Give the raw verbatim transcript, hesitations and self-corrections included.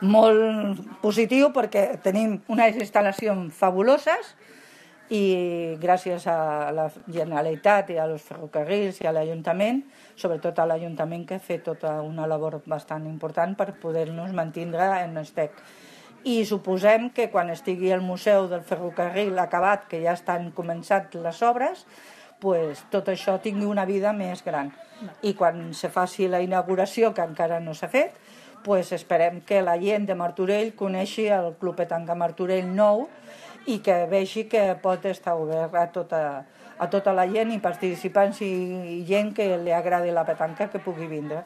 molt positiu perquè tenim unes instal·lacions fabuloses i gràcies a la Generalitat i als ferrocarrils i a l'Ajuntament, sobretot a l'Ajuntament, que ha fet tota una labor bastant important per poder-nos mantindre en estec. I suposem que quan estigui el Museu del Ferrocarril acabat, que ja estan començat les obres, pues, tot això tingui una vida més gran. I quan se faci la inauguració, que encara no s'ha fet, pues esperem que la gent de Martorell coneixi el Club Petanca Martorell nou i que vegi que pot estar obert a tota, a tota la gent i participants i gent que li agradi la petanca que pugui vindre.